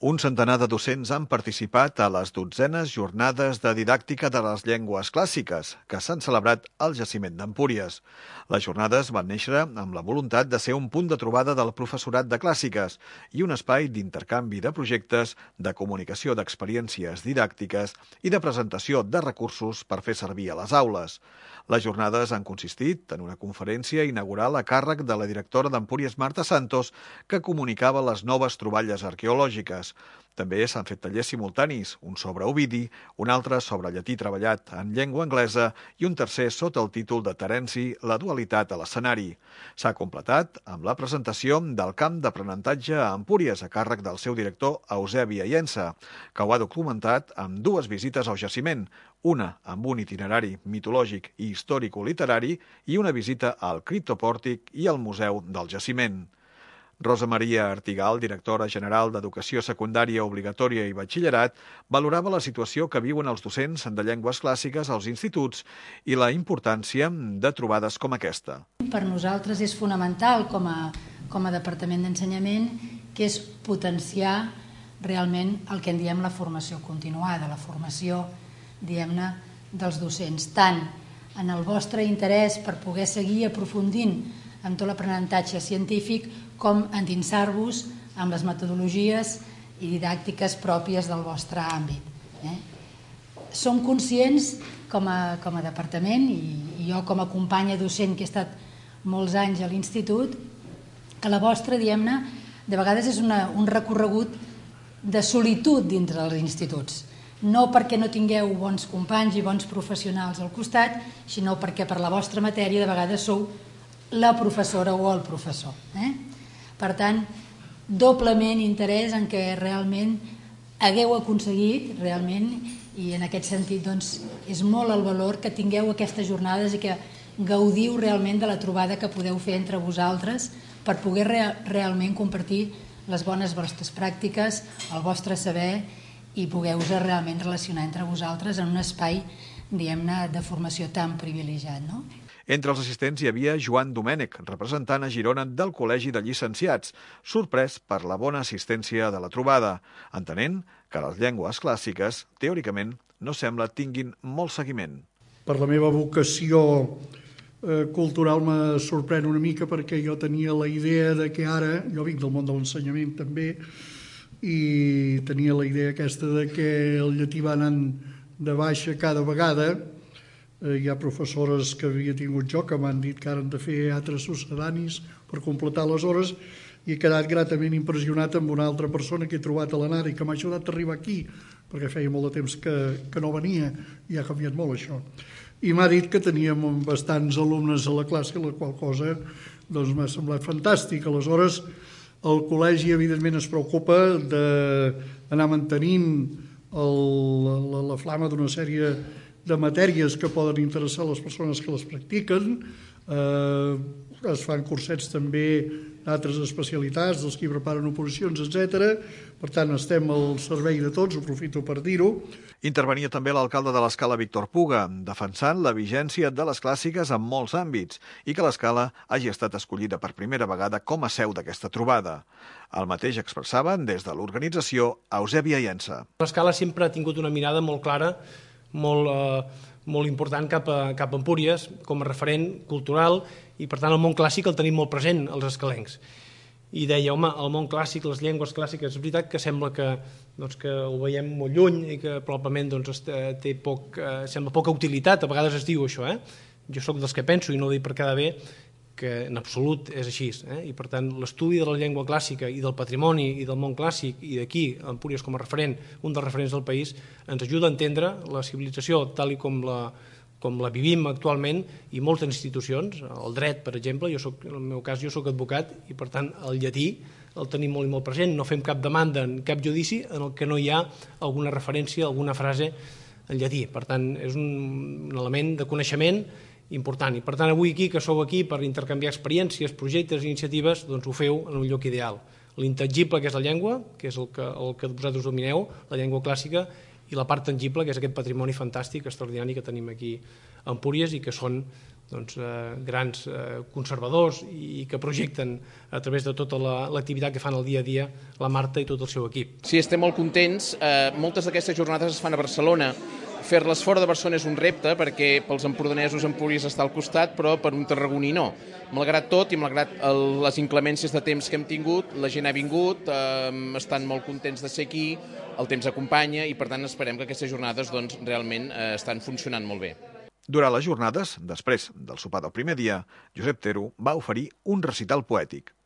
Un centenar de docents han participat a les 12enes jornades de didàctica de les llengües clàssiques que s'han celebrat al jaciment d'Empúries. Les jornades van néixer amb la voluntat de ser un punt de trobada del professorat de clàssiques i un espai d'intercanvi de projectes, de comunicació d'experiències didàctiques i de presentació de recursos per fer servir a les aules. Les jornades han consistit en una conferència inaugural a càrrec de la directora d'Empúries, Marta Santos, que comunicava les noves troballes arqueològiques. També s'han fet tallers simultanis, un sobre Ovidi, un altre sobre llatí treballat en llengua anglesa i un tercer sota el títol de Terenci, la dualitat a l'escenari. S'ha completat amb la presentació del camp d'aprenentatge a Empúries a càrrec del seu director Eusebi Aiensa, que ho ha documentat amb 2 visites al jaciment, una amb un itinerari mitològic i històrico-literari i una visita al criptopòrtic i al museu del jaciment. Rosa Maria Artigal, directora general d'Educació Secundària Obligatòria i Batxillerat, valorava la situació que viuen els docents de llengües clàssiques als instituts i la importància de trobades com aquesta. Per nosaltres és fonamental com a Departament d'Ensenyament, que és potenciar realment el que en diem la formació continuada, la formació, diguem-ne, dels docents, tant en el vostre interès per poder seguir aprofundint amb tot l'aprenentatge científic com endinsar-vos amb les metodologies i didàctiques pròpies del vostre àmbit. Som conscients com a departament i jo com a companya docent que he estat molts anys a l'institut que la vostra, diguem-ne, de vegades és un recorregut de solitud dintre dels instituts. No perquè no tingueu bons companys i bons professionals al costat, sinó perquè per la vostra matèria de vegades sou la professora o el professor. Per tant, doblement interès en què realment hagueu aconseguit, realment, i en aquest sentit doncs, és molt el valor que tingueu aquestes jornades i que gaudiu realment de la trobada que podeu fer entre vosaltres per poder realment compartir les bones vostres pràctiques, el vostre saber i poder-vos realment relacionar entre vosaltres en un espai, diguem-ne, de formació tan privilegiat, no? Entre els assistents hi havia Joan Domènech, representant a Girona del Col·legi de Llicenciats, sorprès per la bona assistència de la trobada, entenent que les llengües clàssiques, teòricament, no sembla tinguin molt seguiment. Per la meva vocació cultural me sorprèn una mica perquè jo tenia la idea de que ara, jo vinc del món de l'ensenyament també, i tenia la idea aquesta de que el llatí va anant de baixa cada vegada. Hi ha professores que havia tingut jo que m'han dit que ara han de fer altres succedanis per completar les hores i he quedat gratament impressionat amb una altra persona que he trobat a l'ANAR i que m'ha ajudat a arribar aquí perquè feia molt de temps que no venia i ha canviat molt això. I m'ha dit que teníem bastants alumnes a la classe, la qual cosa doncs, m'ha semblat fantàstic. Aleshores, el col·legi evidentment es preocupa d'anar mantenint la flama d'una sèrie de matèries que poden interessar a les persones que les practiquen. Es fan cursets també d'altres especialitats, dels que preparen oposicions, etc. Per tant, estem al servei de tots, aprofito per dir-ho. Intervenia també l'alcalde de l'Escala, Víctor Puga, defensant la vigència de les clàssiques en molts àmbits i que l'Escala hagi estat escollida per primera vegada com a seu d'aquesta trobada. El mateix expressaven des de l'organització Eusebi Aiensa. L'Escala sempre ha tingut una mirada molt clara, molt important cap a Empúries com a referent cultural i per tant el món clàssic el tenim molt present els escalencs. I deia, home, el món clàssic, les llengües clàssiques, és veritat que sembla que ho veiem molt lluny i que probablement sembla poca utilitat, a vegades es diu això. Jo sóc dels que penso, i no ho dic per quedar bé, que en absolut és així. I per tant l'estudi de la llengua clàssica i del patrimoni i del món clàssic i d'aquí, Empúries com a referent, un dels referents del país, ens ajuda a entendre la civilització tal com la vivim actualment i moltes institucions, el dret per exemple, en el meu cas jo soc advocat i per tant el llatí el tenim molt i molt present, no fem cap demanda en cap judici en el que no hi ha alguna referència, alguna frase en llatí, per tant és un element de coneixement important. I per tant avui aquí, que sou aquí per intercanviar experiències, projectes i iniciatives, doncs ho feu en un lloc ideal. L'intangible, que és la llengua, que és el que vosaltres domineu, la llengua clàssica, i la part tangible, que és aquest patrimoni fantàstic, extraordinari que tenim aquí a Empúries i que són grans conservadors i que projecten a través de tota l'activitat que fan el dia a dia la Marta i tot el seu equip. Sí, estem molt contents. Moltes d'aquestes jornades es fan a Barcelona. Fer-les fora de Barcelona és un repte perquè pels empordanesos Empúries està al costat, però per un tarragoní no. Malgrat tot i malgrat les inclemències de temps que hem tingut, la gent ha vingut, estan molt contents de ser aquí, el temps acompanya i per tant esperem que aquestes jornades realment estan funcionant molt bé. Durant les jornades, després del sopar del primer dia, Josep Tero va oferir un recital poètic.